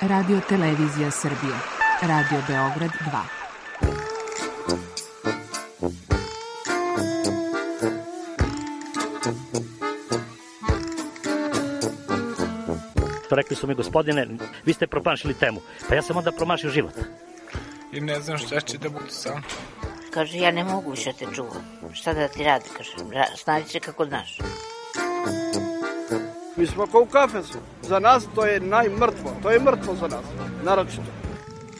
Radio Televizija Srbije. Radio Beograd 2. Rekli su mi, gospodine, vi ste promašili temu. Pa ja sam onda promašio život. I ne znam šta će da bude sam. Kaže, ja ne mogu više te čuvam. Šta da ti radi, kaže, snađi se kako znaš. Mi smo kao u kafesu. Za nas to je najmrtvo. To je mrtvo za nas, naročito.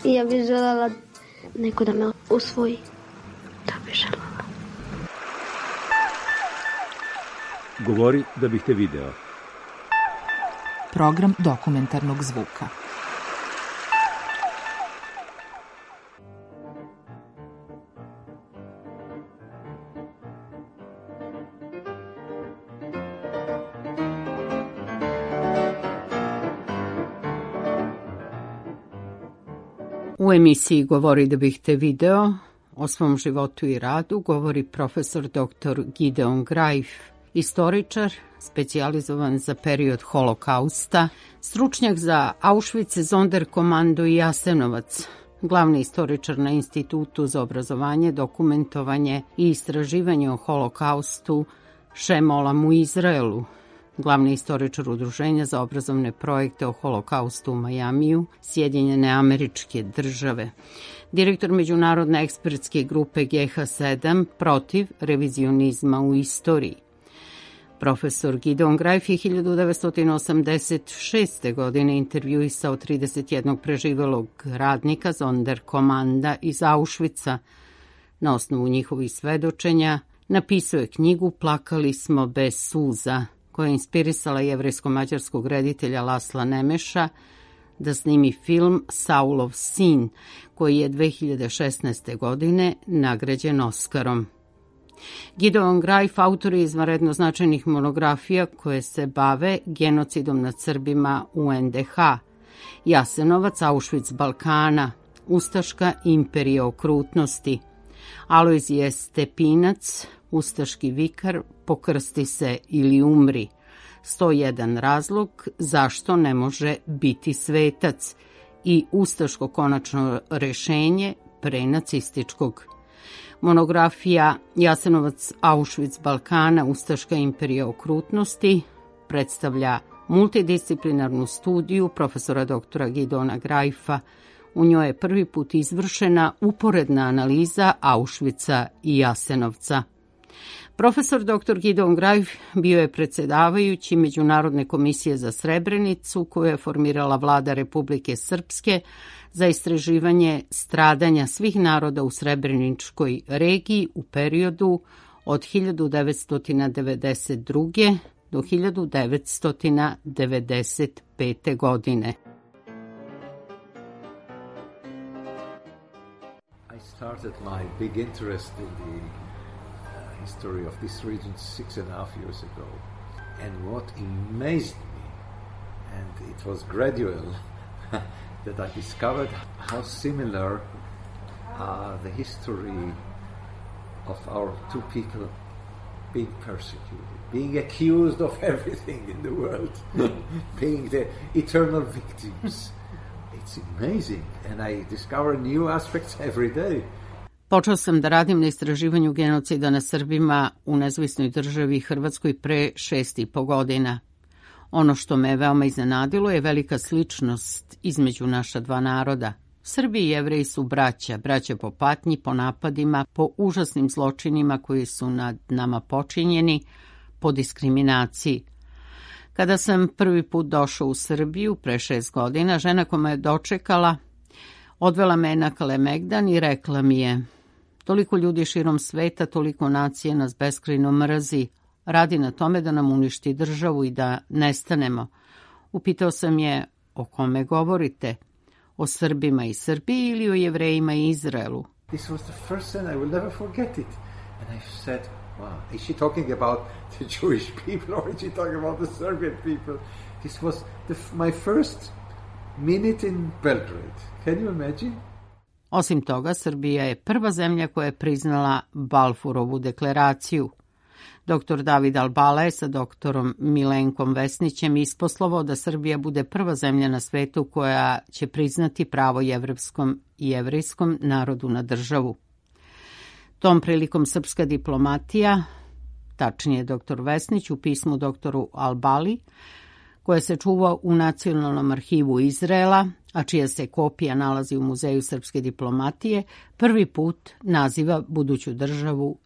I ja bih želela neko da me usvoji. Da bih želela. Govori da bih te video. Program dokumentarnog zvuka. U emisiji Govori da bih te video o svom životu i radu govori profesor dr. Gideon Greif, istoričar, specijalizovan za period Holokausta, stručnjak za Auschwitz, Sonderkommando i Jasenovac, glavni istoričar na Institutu za obrazovanje, dokumentovanje i istraživanje o Holokaustu Šemolam u Izraelu, glavni istoričar Udruženja za obrazovne projekte o Holokaustu u Majamiju, Sjedinjene Američke Države, direktor Međunarodne ekspertske grupe GH7 protiv revizionizma u istoriji. Profesor Gideon Greif je 1986. godine intervjuisao 31 preživelog radnika Sonderkommanda iz Auschwitza. Na osnovu njihovih svedočenja napisao je knjigu Plakali smo bez suza, koja je inspirisala jevrejsko-mađarskog reditelja Lasla Nemeša da snimi film Saulov sin, koji je 2016. godine nagrađen Oskarom. Gideon Greif autor je izvanredno značajnih monografija koje se bave genocidom nad Srbima u NDH, Jasenovac, Auschwitz Balkana, Ustaška imperija okrutnosti, Alojzije Stepinac, Ustaški vikar, Pokrsti se ili umri, 101 razlog zašto ne može biti svetac i Ustaško konačno rešenje prenacističkog. Monografija Jasenovac, Auschwitz Balkana, Ustaška imperija okrutnosti predstavlja multidisciplinarnu studiju profesora doktora Gideona Greifa. U njoj je prvi put izvršena uporedna analiza Auschwitza i Jasenovca. Profesor dr. Gideon Greif bio je predsedavajući Međunarodne komisije za Srebrenicu koju je formirala vlada Republike Srpske za istraživanje stradanja svih naroda u Srebreničkoj regiji u periodu od 1992. do 1995. godine. I started my big interest in the history of this region 6.5 years ago. And what amazed me, and it was gradual, that I discovered how similar the history of our two people being persecuted, being accused of everything in the world, being the eternal victims. It's amazing, and I discover new aspects every day. Počeo sam da radim na istraživanju genocida na Srbima u nezavisnoj državi Hrvatskoj pre 6,5 godina. Ono što me veoma iznenadilo je velika sličnost između naša dva naroda. Srbi i Jevreji su braća po patnji, po napadima, po užasnim zločinima koji su nad nama počinjeni, po diskriminaciji. Kada sam prvi put došao u Srbiju pre 6 godina, žena koja me je dočekala odvela me na Kalemegdan i rekla mi je: toliko ljudi širom sveta, toliko nacije nas beskrajno mrzi, radi na tome da nam uništi državu i da nestanemo. Upitao sam je: o kome govorite? O Srbima i Srbiji ili o Jevrejima i Izraelu? This was the first time I will never forget it. And I said, wow, is she talking about the Jewish people or is she talking about the Serbian people? This was my first minute in Belgrade. Can you imagine? Osim toga, Srbija je prva zemlja koja je priznala Balfurovu deklaraciju. Dr. David Albala je sa doktorom Milenkom Vesnićem isposlovao da Srbija bude prva zemlja na svetu koja će priznati pravo jevrejskom i jevrejskom narodu na državu. Tom prilikom srpska diplomatija, tačnije dr. Vesnić u pismu doktoru Albali, koje se čuva u Nacionalnom arhivu Izraela, a čija se kopija nalazi u Muzeju srpske diplomatije, prvi put naziva buduću državu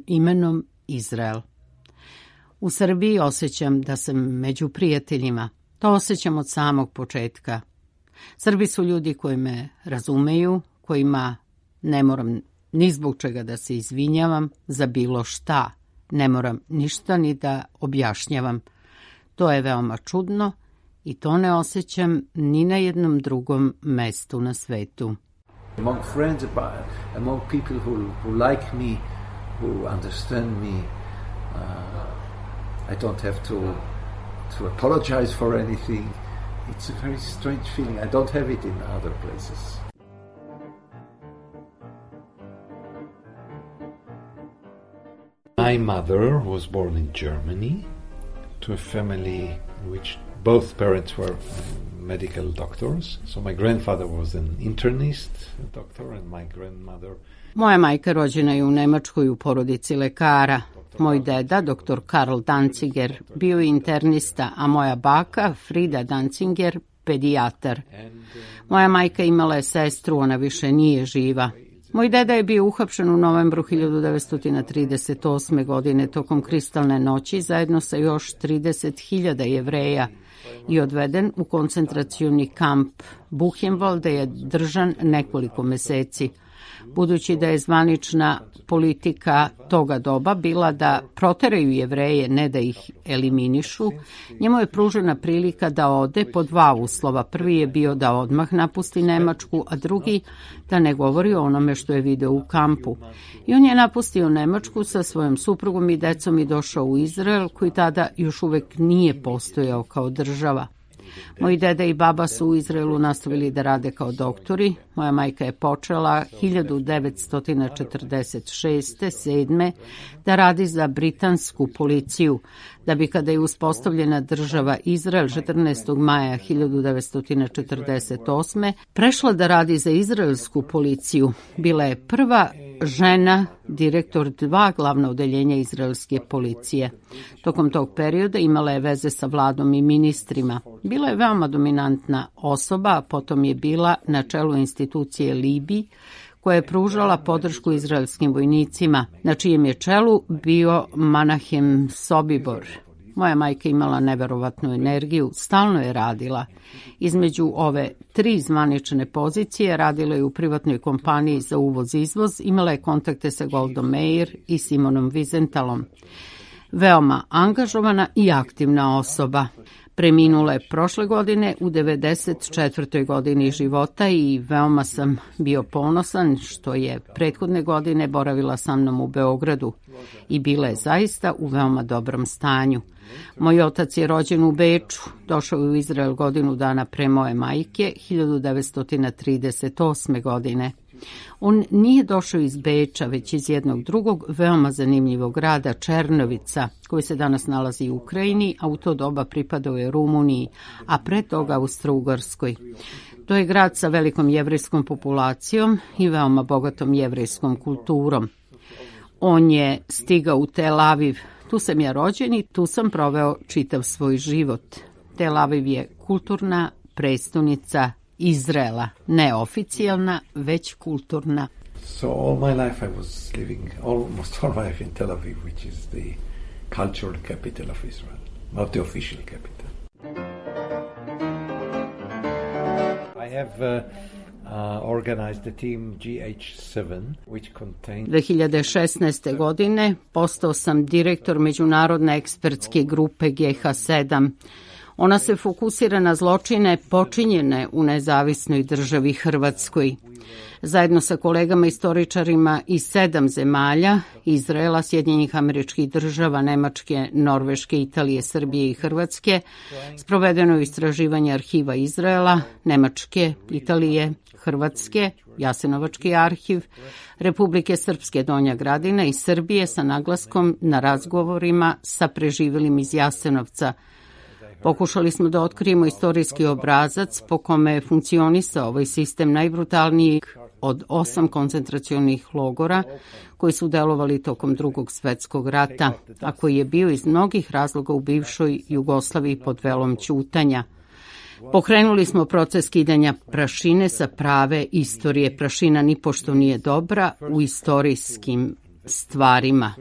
imenom Izrael. U Srbiji osjećam da sam među prijateljima. To osjećam od samog početka. Srbi su ljudi koji me razumeju, kojima ne moram ni zbog čega da se izvinjavam za bilo šta. Ne moram ništa ni da objašnjavam. To je veoma čudno i to ne osjećam ni na jednom drugom mestu na svetu. Among friends, among people who like me, who understand me, I don't have to apologize for anything. It's a very strange feeling. I don't have it in other places. My mother was born in Germany to a family in which both parents were medical doctors. So my grandfather was an internist doctor and my grandmother... Moja majka rođena je u Nemačkoj u porodici lekara. Moj deda, dr. Karl Danziger, bio je internista, a moja baka, Frida Danziger, pedijatar. Moja majka imala je sestru, ona više nije živa. Moj deda je bio uhapšen u novembru 1938. godine tokom kristalne noći zajedno sa još 30.000 Jevreja i odveden u koncentracioni kamp Buchenwald, gde je držan nekoliko meseci. Budući da je zvanična politika toga doba bila da proteraju Jevreje, ne da ih eliminišu, njemu je pružena prilika da ode po dva uslova. Prvi je bio da odmah napusti Nemačku, a drugi da ne govori o onome što je video u kampu. I on je napustio Nemačku sa svojom suprugom i decom i došao u Izrael, koji tada još uvek nije postojao kao država. Moji deda i baba su u Izraelu nastavili da rade kao doktori. Moja majka je počela 1946-7 da radi za britansku policiju, da bi kada je uspostavljena država Izrael 14. maja 1948. prešla da radi za izraelsku policiju. Bila je prva žena direktor 2 glavna odeljenja izraelske policije. Tokom tog perioda imala je veze sa vladom i ministrima. Bila je veoma dominantna osoba, a potom je bila na čelu institucije Libi, koja je pružala podršku izraelskim vojnicima, na čijem je čelu bio Menahem Sobibor. Moja majka imala neverovatnu energiju, stalno je radila. Između ove 3 zvanične pozicije radila je u privatnoj kompaniji za uvoz-izvoz, imala je kontakte sa Goldom Meir i Simonom Wiesentalom. Veoma angažovana i aktivna osoba. Preminula je prošle godine u 94. godini života i veoma sam bio ponosan što je prethodne godine boravila sa mnom u Beogradu i bila je zaista u veoma dobrom stanju. Moj otac je rođen u Beču, došao je u Izrael godinu dana pre moje majke, 1938. godine. On nije došao iz Beča, već iz jednog drugog, veoma zanimljivog grada, Černovica, koji se danas nalazi u Ukrajini, a u to doba pripadao je Rumuniji, a pre toga Austro-Ugarskoj. To je grad sa velikom jevrejskom populacijom i veoma bogatom jevrejskom kulturom. On je stigao u Tel Aviv. Tu sam ja rođen i tu sam proveo čitav svoj život. Tel Aviv je kulturna prestonica Izraela, ne oficijalna, već kulturna. So all my life I was living, almost all my life in Tel Aviv, which is the cultural capital of Israel, not the official capital. I have organized the team GH7, which contains... 2016. godine postao sam direktor međunarodne ekspertske grupe GH7. Ona se fokusira na zločine počinjene u nezavisnoj državi Hrvatskoj. Zajedno sa kolegama istoričarima iz 7 zemalja, Izraela, Sjedinjenih Američkih Država, Nemačke, Norveške, Italije, Srbije i Hrvatske, sprovedeno je istraživanje arhiva Izraela, Nemačke, Italije, Hrvatske, Jasenovački arhiv, Republike Srpske Donja Gradina i Srbije sa naglaskom na razgovorima sa preživelim iz Jasenovca. Pokušali smo da otkrijemo istorijski obrazac po kome je funkcionisao ovaj sistem najbrutalnijih od 8 koncentracionih logora koji su delovali tokom Drugog svetskog rata, a koji je bio iz mnogih razloga u bivšoj Jugoslaviji pod velom ćutanja. Pokrenuli smo proces skidanja prašine sa prave istorije. Prašina nipošto nije dobra u istorijskim stvarima.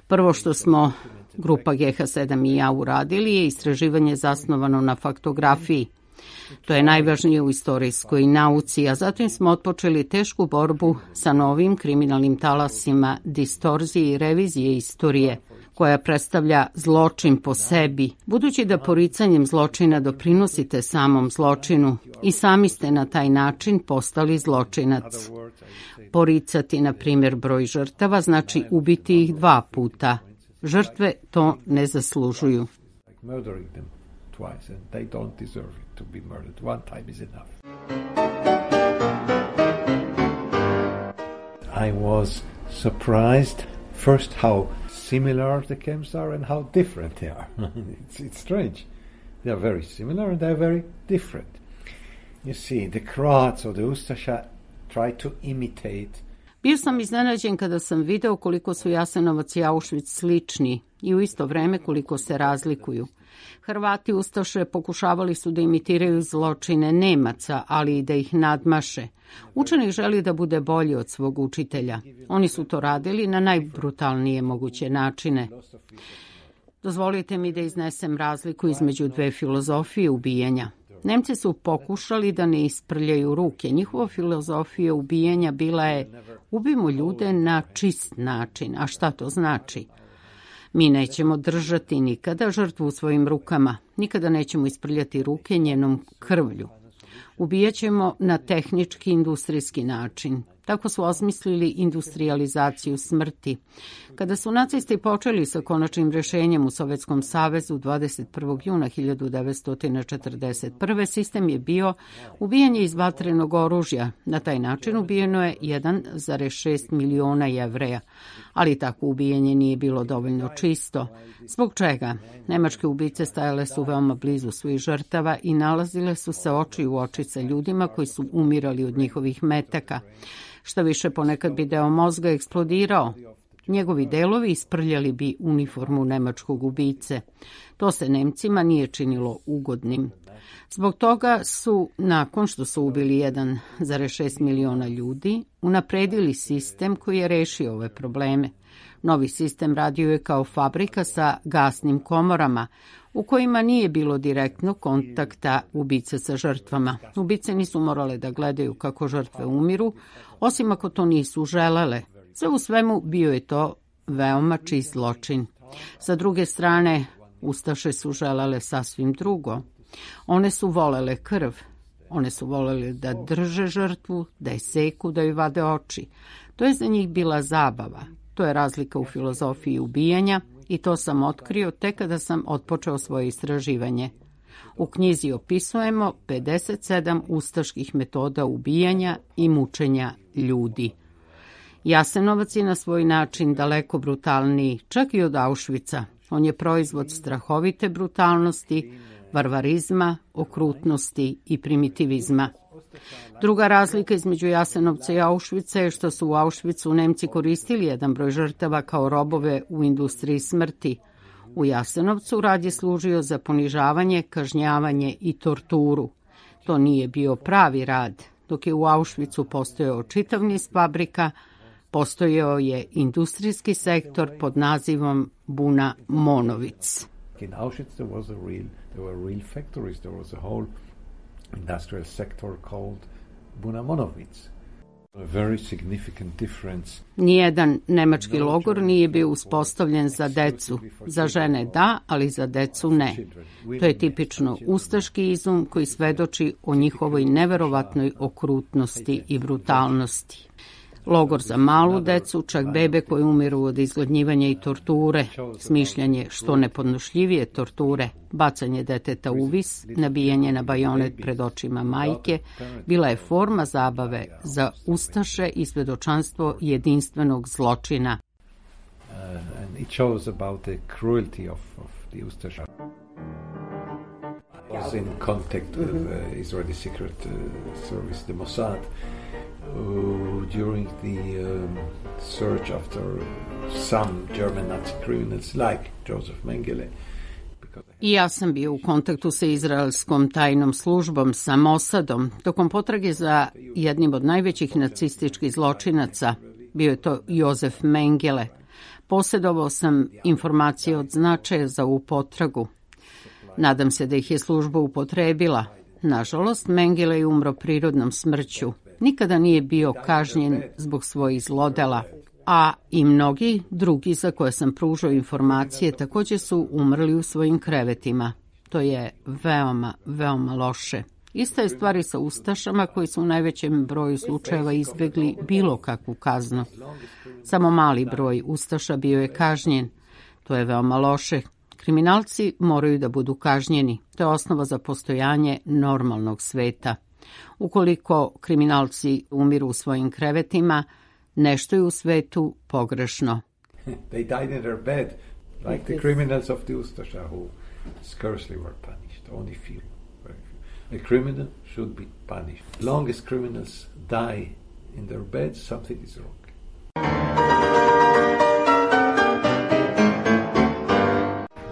Prvo što smo grupa GH7 i ja uradili je istraživanje zasnovano na faktografiji. To je najvažnije u istorijskoj nauci, a zatim smo otpočeli tešku borbu sa novim kriminalnim talasima distorzije i revizije istorije, koja predstavlja zločin po sebi, budući da poricanjem zločina doprinosite samom zločinu i sami ste na taj način postali zločinac. Poricati, na primjer, broj žrtava znači ubiti ih 2 puta. Žrtve to ne zaslužuju. I was surprised first how similar the camps are and how different they are. It's strange. They are very similar and they are very different. You see, the Croats or the Ustasha try to imitate. Bio sam iznenađen kada sam video koliko su Jasenovac i Auschwitz slični i u isto vreme koliko se razlikuju. Hrvati Ustaše pokušavali su da imitiraju zločine Nemaca, ali i da ih nadmaše. Učenik želi da bude bolji od svog učitelja. Oni su to radili na najbrutalnije moguće načine. Dozvolite mi da iznesem razliku između 2 filozofije ubijanja. Nemci su pokušali da ne isprljaju ruke. Njihova filozofija ubijanja bila je ubijmo ljude na čist način. A šta to znači? Mi nećemo držati nikada žrtvu u svojim rukama. Nikada nećemo isprljati ruke njenom krvlju. Ubijaćemo na tehnički industrijski način. Tako su osmislili industrializaciju smrti. Kada su nacisti počeli sa konačnim rešenjem u Sovjetskom savezu 21. juna 1941. sistem je bio ubijanje iz vatrenog oružja. Na taj način ubijeno je 1,6 miliona Jevreja. Ali takvo ubijanje nije bilo dovoljno čisto. Zbog čega? Nemačke ubice stajale su veoma blizu svojih žrtava i nalazile su se oči u oči sa ljudima koji su umirali od njihovih metaka. Što više, ponekad bi deo mozga eksplodirao. Njegovi delovi isprljali bi uniformu nemačkog ubice. To se Nemcima nije činilo ugodnim. Zbog toga su, nakon što su ubili 1,6 miliona ljudi, unapredili sistem koji je rešio ove probleme. Novi sistem radio je kao fabrika sa gasnim komorama, u kojima nije bilo direktnog kontakta ubice sa žrtvama. Ubice nisu morale da gledaju kako žrtve umiru, osim ako to nisu želele. Sve u svemu bio je to veoma čist zločin. Sa druge strane, Ustaše su želele sasvim drugo. One su volele krv. One su volele da drže žrtvu, da je seku, da joj vade oči. To je za njih bila zabava. To je razlika u filozofiji ubijanja i to sam otkrio tek kada sam otpočeo svoje istraživanje. U knjizi opisujemo 57 ustaških metoda ubijanja i mučenja ljudi. Jasenovac je na svoj način daleko brutalniji, čak i od Auschwitza. On je proizvod strahovite brutalnosti, varvarizma, okrutnosti i primitivizma. Druga razlika između Jasenovca i Auschwitza je što su u Auschwitzu Nemci koristili jedan broj žrtava kao robove u industriji smrti. U Jasenovcu rad je služio za ponižavanje, kažnjavanje i torturu. To nije bio pravi rad. Dok je u Auschwitzu postojao čitav niz fabrika, postojao je industrijski sektor pod nazivom Buna Monowitz. In Auschwitz there were real factories, there was a whole industrial sector called Buna Monowitz. Nijedan nemački logor nije bio uspostavljen za decu. Za žene da, ali za decu ne. To je tipično ustaški izum koji svedoči o njihovoj neverovatnoj okrutnosti i brutalnosti. Logor za malu decu, čak bebe koje umiru od izgladnjivanja i torture, smišljanje što nepodnošljivije torture, bacanje deteta u vis, nabijanje na bajonet pred očima majke, bila je forma zabave za ustaše i svedočanstvo jedinstvenog zločina. It shows about the cruelty of the Ustasha. I was in contact with Israeli Secret Service, the Mossad, during the search after some German Nazi criminals like Joseph Mengele. I ja sam bio u kontaktu sa izraelskom tajnom službom, sa Mossadom, tokom potrage za jednim od najvećih nacističkih zločinaca. Bio je to Josef Mengele. Posjedovao sam informacije od značaja za ovu potragu. Nadam se da ih je služba upotrebila. Nažalost, Mengele je umro prirodnom smrću. Nikada nije bio kažnjen zbog svojih zlodela, a i mnogi drugi za koje sam pružao informacije također su umrli u svojim krevetima. To je veoma, veoma loše. Ista je stvar i sa ustašama koji su u najvećem broju slučajeva izbjegli bilo kakvu kaznu. Samo mali broj ustaša bio je kažnjen. To je veoma loše. Kriminalci moraju da budu kažnjeni. To je osnova za postojanje normalnog sveta. Ukoliko kriminalci umiru u svojim krevetima, nešto je u svetu pogrešno. They died in their bed, like the criminals of the Ustasha who scarcely were punished, only few. A criminal should be punished. As long as criminals die in their beds, something is wrong.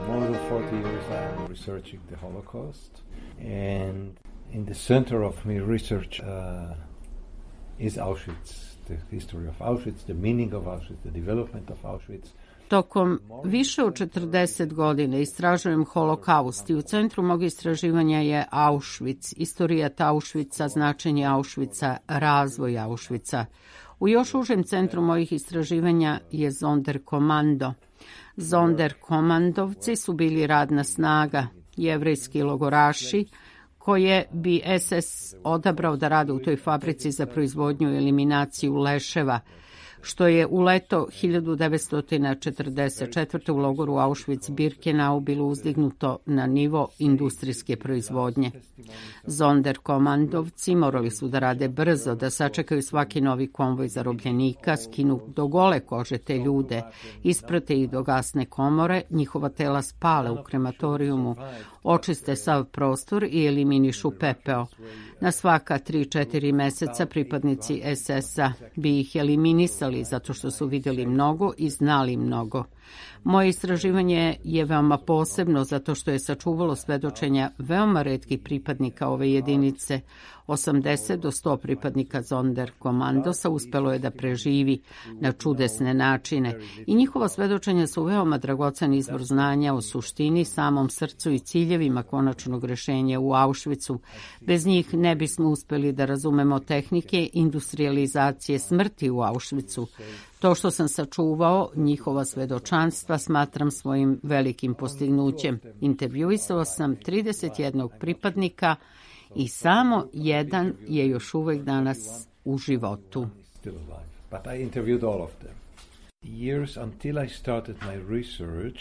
More than 40 years I'm researching the Holocaust, and in the center of my research is Auschwitz, the history of Auschwitz, the meaning of Auschwitz, the development of Auschwitz. Tokom više od 40 godina istražujem holokaust i u centru mog istraživanja je Auschwitz, istorijat Auschwitza, značenje Auschwitza, razvoj Auschwitza. U još užem centru mojih istraživanja je Sonderkommando. Sonderkommandovci su bili radna snaga, jevrejski logoraši, koje bi SS odabrao da rade u toj fabrici za proizvodnju i eliminaciju leševa, što je u leto 1944. u logoru Auschwitz-Birkenau bilo uzdignuto na nivo industrijske proizvodnje. Sonderkommandovci morali su da rade brzo, da sačekaju svaki novi konvoj zarobljenika, skinu do gole kože te ljude, isprate ih do gasne komore, njihova tela spale u krematorijumu, očiste sav prostor i eliminišu pepeo. Na svaka 3-4 meseca pripadnici SS-a bi ih eliminisali zato što su vidjeli mnogo i znali mnogo. Moje istraživanje je veoma posebno zato što je sačuvalo svedočenja veoma retkih pripadnika ove jedinice. 80 do 100 pripadnika Sonderkommandosa uspelo je da preživi na čudesne načine i njihova svedočenja su veoma dragocen izvor znanja o suštini, samom srcu i ciljevima konačnog rešenja u Auschwitzu. Bez njih ne bismo uspeli da razumemo tehnike industrializacije smrti u Auschwitzu. To što sam sačuvao njihova svedočanstva smatram svojim velikim postignućem. Intervjuisao sam 31 pripadnika i samo jedan je još uvek danas u životu. But I interviewed all of them. Years until I started my research,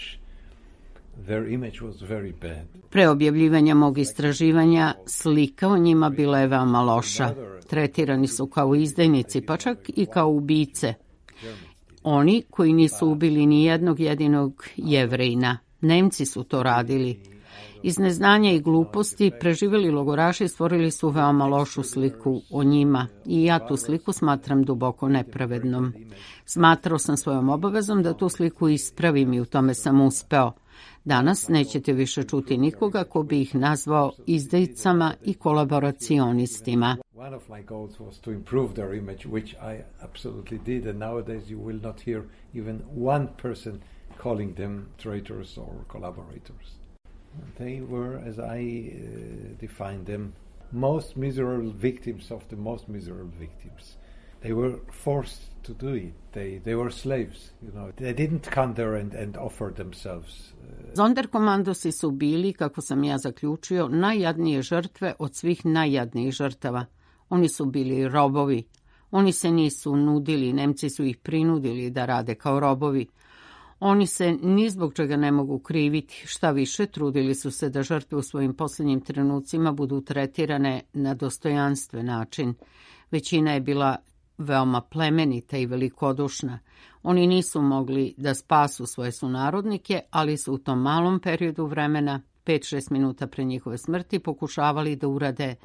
their image was very bad. Pre objavljivanja mog istraživanja, slika o njima bila je veoma loša. Tretirani su kao izdajnici, pa čak i kao ubice. Oni koji nisu ubili ni jednog jedinog Jevrejina. Nemci su to radili. Iz neznanja i gluposti preživjeli logoraši stvorili su veoma lošu sliku o njima i ja tu sliku smatram duboko nepravednom. Smatrao sam svojom obavezom da tu sliku ispravim i u tome sam uspeo. Danas nećete više čuti nikoga ko bi ih nazvao izdajicama i kolaboracionistima. One of my goals was to improve their image, which I absolutely did, and nowadays you will not hear even one person calling them traitors or collaborators. They were, as I defined them, most miserable victims of the most miserable victims. They were forced to do it. They were slaves, you know. They didn't come there and offer themselves. Sonderkomandosi su bili, kako sam ja zaključio, najjadnije žrtve od svih najjadnijih žrtava. Oni su bili robovi. Oni se nisu nudili, Nemci su ih prinudili da rade kao robovi. Oni se ni zbog čega ne mogu kriviti, šta više, trudili su se da žrtve u svojim posljednjim trenucima budu tretirane na dostojanstven način. Većina je bila veoma plemenita i velikodušna. Oni nisu mogli da spasu svoje sunarodnike, ali su u tom malom periodu vremena, 5-6 minuta pre njihove smrti, pokušavali da urade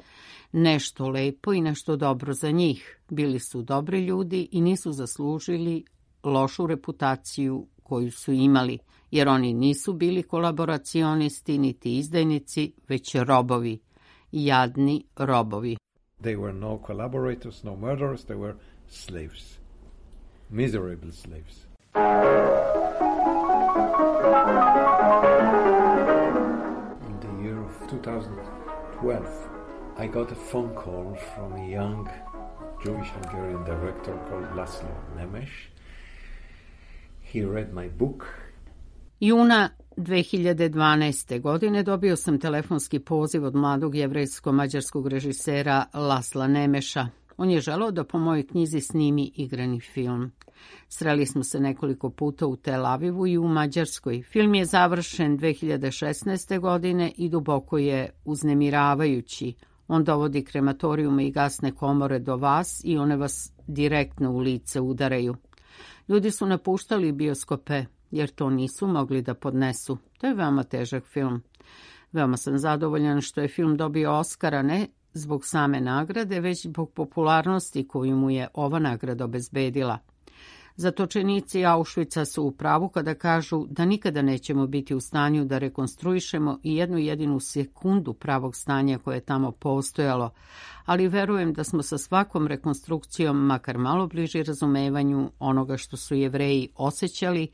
nešto lepo i nešto dobro za njih. Bili su dobri ljudi i nisu zaslužili lošu reputaciju koju su imali, jer oni nisu bili kolaboracionisti niti izdajnici, već robovi, jadni robovi. They were no collaborators, no murderers, they were slaves. Miserable slaves. In the year of 2012, I got a phone call from a young Jewish Hungarian director called Laszlo Nemes. He read my book. Juna 2012. godine dobio sam telefonski poziv od mladog jevrejsko-mađarskog režisera Lasla Nemeša. On je želeo da po mojoj knjizi snimi igrani film. Sreli smo se nekoliko puta u Tel Avivu i u Mađarskoj. Film je završen 2016. godine i duboko je uznemiravajući. On dovodi krematorijume i gasne komore do vas i one vas direktno u lice udaraju. Ljudi su napuštali bioskope jer to nisu mogli da podnesu. To je veoma težak film. Veoma sam zadovoljan što je film dobio Oskara ne zbog same nagrade, već zbog popularnosti koju mu je ova nagrada obezbedila. Zatočenici Auschwitza su u pravu kada kažu da nikada nećemo biti u stanju da rekonstruišemo i jednu jedinu sekundu pravog stanja koje je tamo postojalo, ali verujem da smo sa svakom rekonstrukcijom makar malo bliži razumevanju onoga što su Jevreji osjećali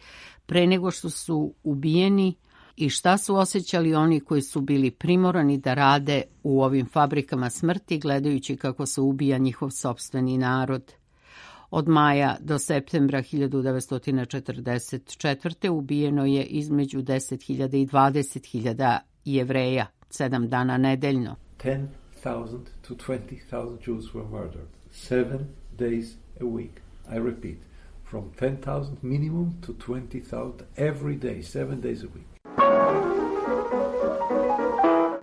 pre nego što su ubijeni i šta su osjećali oni koji su bili primorani da rade u ovim fabrikama smrti gledajući kako se ubija njihov sopstveni narod. Od maja do septembra 1944. ubijeno je između 10.000 i 20.000 Jevreja, 7 dana nedeljno. 10,000 to 20,000 Jews were murdered, 7 days a week. I repeat, from 10,000 minimum to 20,000 every day, 7 days a week.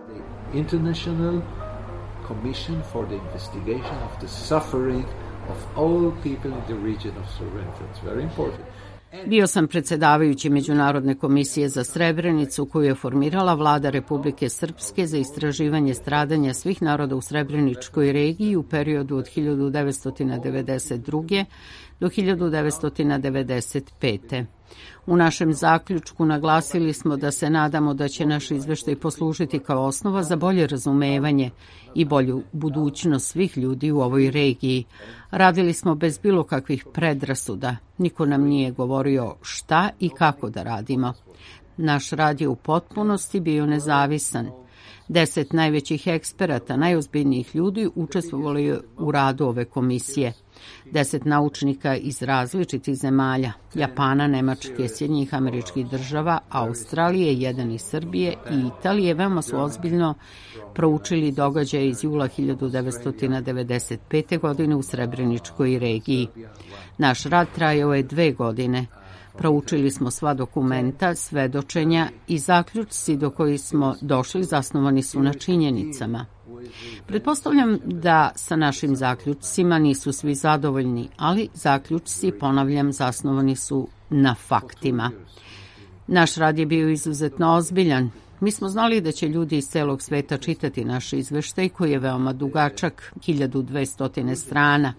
The International Commission for the Investigation of the Suffering of all people in the region of Srebrenica. It's very important. Bio sam predsedavajući Međunarodne komisije za Srebrenicu koju je formirala vlada Republike Srpske za istraživanje stradanja svih naroda u Srebreničkoj regiji u periodu od 1992. do 1995. U našem zaključku naglasili smo da se nadamo da će naš izveštaj poslužiti kao osnova za bolje razumevanje i bolju budućnost svih ljudi u ovoj regiji. Radili smo bez bilo kakvih predrasuda. Niko nam nije govorio šta i kako da radimo. Naš rad je u potpunosti bio nezavisan. 10 najvećih eksperata, najozbiljnijih ljudi učestvovalo je u radu ove komisije. 10 naučnika iz različitih zemalja, Japana, Nemačke, Sjedinjenih Američkih Država, Australije, 1 iz Srbije i Italije veoma su ozbiljno proučili događaje iz jula 1995. godine u Srebreničkoj regiji. Naš rad trajao je 2 godine. Proučili smo sva dokumenta, svedočenja i zaključci do kojih smo došli zasnovani su na činjenicama. Pretpostavljam da sa našim zaključcima nisu svi zadovoljni, ali zaključci, ponavljam, zasnovani su na faktima. Naš rad je bio izuzetno ozbiljan. Mi smo znali da će ljudi iz celog sveta čitati naš izveštaj koji je veoma dugačak, 1200 strana.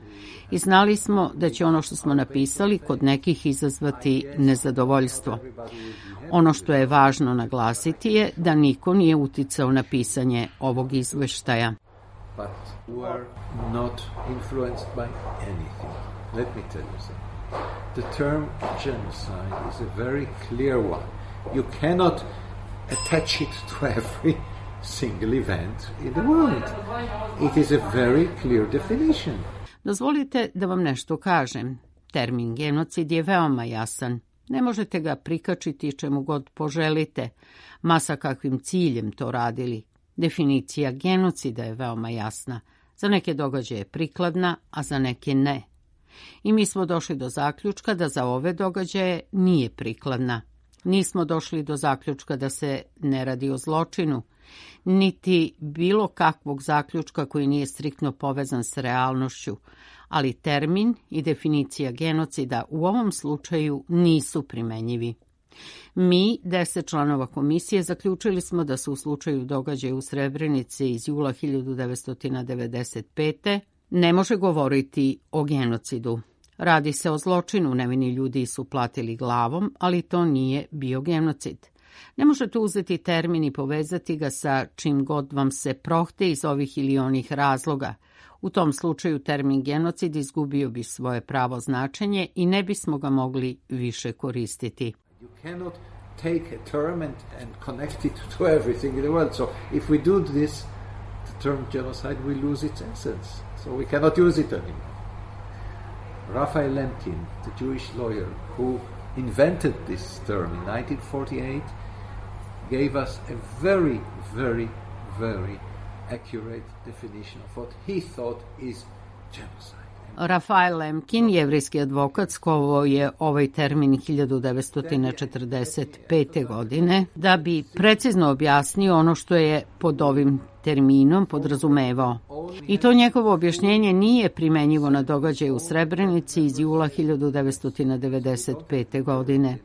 I znali smo da će ono što smo napisali kod nekih izazvati nezadovoljstvo. Ono što je važno naglasiti je da niko nije uticao na pisanje ovog izveštaja. But were not influenced by anything. Let me tell you something. The term genocide is a very clear one. You cannot attach it to every single event in the world. It is a very clear definition. Dozvolite da vam nešto kažem. Termin genocid je veoma jasan. Ne možete ga prikačiti čemu god poželite, ma sa kakvim ciljem to radili. Definicija genocida je veoma jasna. Za neke događaje je prikladna, a za neke ne. I mi smo došli do zaključka da za ove događaje nije prikladna. Nismo došli do zaključka da se ne radi o zločinu, niti bilo kakvog zaključka koji nije striktno povezan s realnošću, ali termin i definicija genocida u ovom slučaju nisu primenjivi. Mi, 10 članova komisije, zaključili smo da se u slučaju događaja u Srebrenici iz jula 1995. ne može govoriti o genocidu. Radi se o zločinu, nevini ljudi su platili glavom, ali to nije bio genocid. Ne možete uzeti termin i povezati ga sa čim god vam se prohte iz ovih ili onih razloga. U tom slučaju termin genocid izgubio bi svoje pravo značenje i ne bismo ga mogli više koristiti. You cannot take a term and connect it to everything in the world. So if we do this, the term genocide will lose its essence. So we cannot use it anymore. Raphael Lemkin, the Jewish lawyer who invented this term in 1948, gave us a very, very, very accurate definition of what he thought is genocide. Raphael Lemkin, jevrijski advokat, skovao je ovaj termin 1945. godine da bi precizno objasnio ono što je pod ovim terminom podrazumevao. I to njegovo objašnjenje nije primenjivo na događaje u Srebrenici iz jula 1995. godine.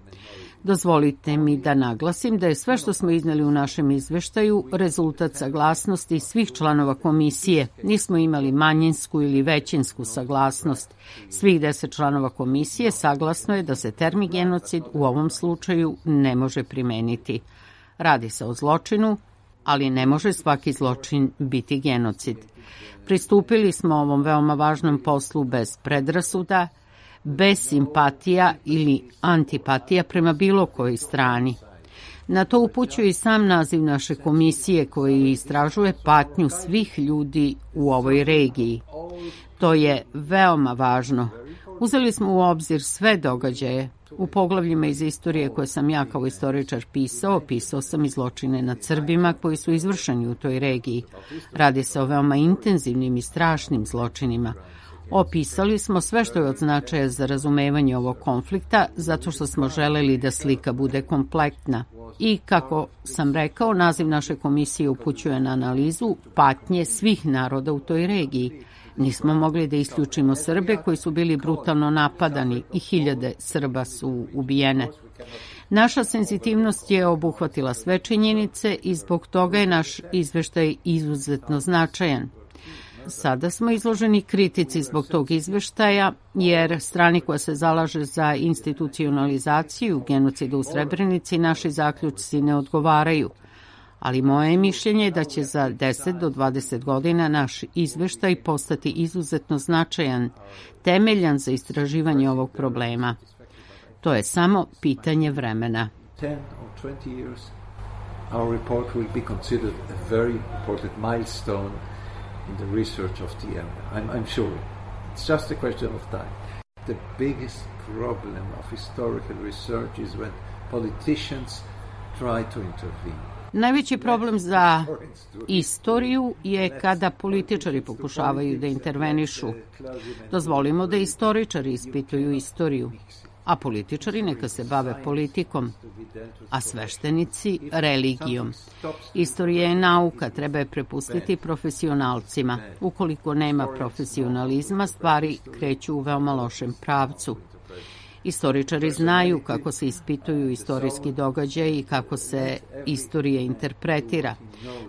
Dozvolite mi da naglasim da je sve što smo izneli u našem izveštaju rezultat saglasnosti svih članova komisije. Nismo imali manjinsku ili većinsku saglasnost. Svih 10 članova komisije saglasno je da se termin genocid u ovom slučaju ne može primeniti. Radi se o zločinu, ali ne može svaki zločin biti genocid. Pristupili smo ovom veoma važnom poslu bez predrasuda, bez simpatija ili antipatija prema bilo kojoj strani. Na to upućuje i sam naziv naše komisije koji istražuje patnju svih ljudi u ovoj regiji. To je veoma važno. Uzeli smo u obzir sve događaje. U poglavljima iz istorije koje sam ja kao istoričar pisao sam i zločine nad Srbima koji su izvršeni u toj regiji. Radi se o veoma intenzivnim i strašnim zločinima. Opisali smo sve što je od značaja za razumevanje ovog konflikta, zato što smo želeli da slika bude kompletna. I, kako sam rekao, naziv naše komisije upućuje na analizu patnje svih naroda u toj regiji. Nismo mogli da isključimo Srbe koji su bili brutalno napadani i hiljade Srba su ubijene. Naša senzitivnost je obuhvatila sve činjenice i zbog toga je naš izveštaj izuzetno značajan. Sada smo izloženi kritici zbog tog izveštaja, jer strani koja se zalaže za institucionalizaciju genocida u Srebrenici naši zaključci ne odgovaraju. Ali moje mišljenje je da će za 10 do 20 godina naš izveštaj postati izuzetno značajan, temeljan za istraživanje ovog problema. To je samo pitanje vremena. 10 or 20 years, our report will be considered a very important milestone in the research of the area. I'm sure. It's just a question of time. The biggest problem of historical research is when politicians try to intervene. Najveći problem za istoriju je kada političari pokušavaju da intervenišu. Dozvolimo da istoričari ispituju istoriju, a političari neka se bave politikom, a sveštenici religijom. Istorija je nauka, treba je prepustiti profesionalcima. Ukoliko nema profesionalizma, stvari kreću u veoma lošem pravcu. Istoričari znaju kako se ispituju istorijski događaji i kako se istorija interpretira.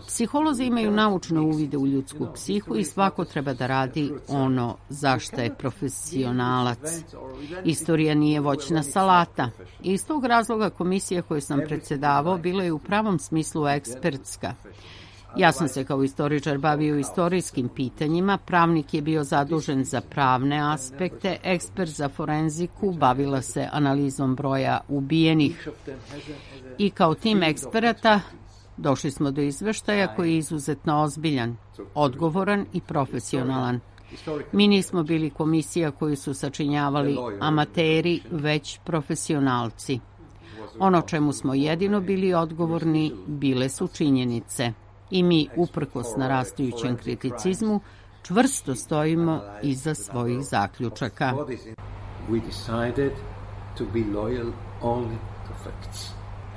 Psiholozi imaju naučne uvide u ljudsku psihu i svako treba da radi ono za šta je profesionalac. Istorija nije voćna salata. I iz tog razloga komisija koju sam predsedavao bila je u pravom smislu ekspertska. Ja sam se kao istoričar bavio istorijskim pitanjima, pravnik je bio zadužen za pravne aspekte, ekspert za forenziku, bavila se analizom broja ubijenih. I kao tim eksperata došli smo do izveštaja koji je izuzetno ozbiljan, odgovoran i profesionalan. Mi nismo bili komisija koju su sačinjavali amateri, već profesionalci. Ono čemu smo jedino bili odgovorni bile su činjenice. I mi, uprkos narastajućem kriticizmu, čvrsto stojimo iza svojih zaključaka. We decided to be loyal only to facts,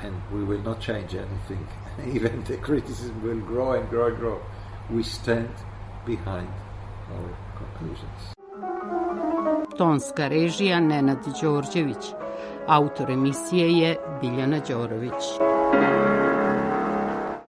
and we will not change anything. Even the criticism will grow and grow and grow. We stand behind our conclusions. Tonska režija Nenad Đorđević. Autor emisije je Biljana Đorović.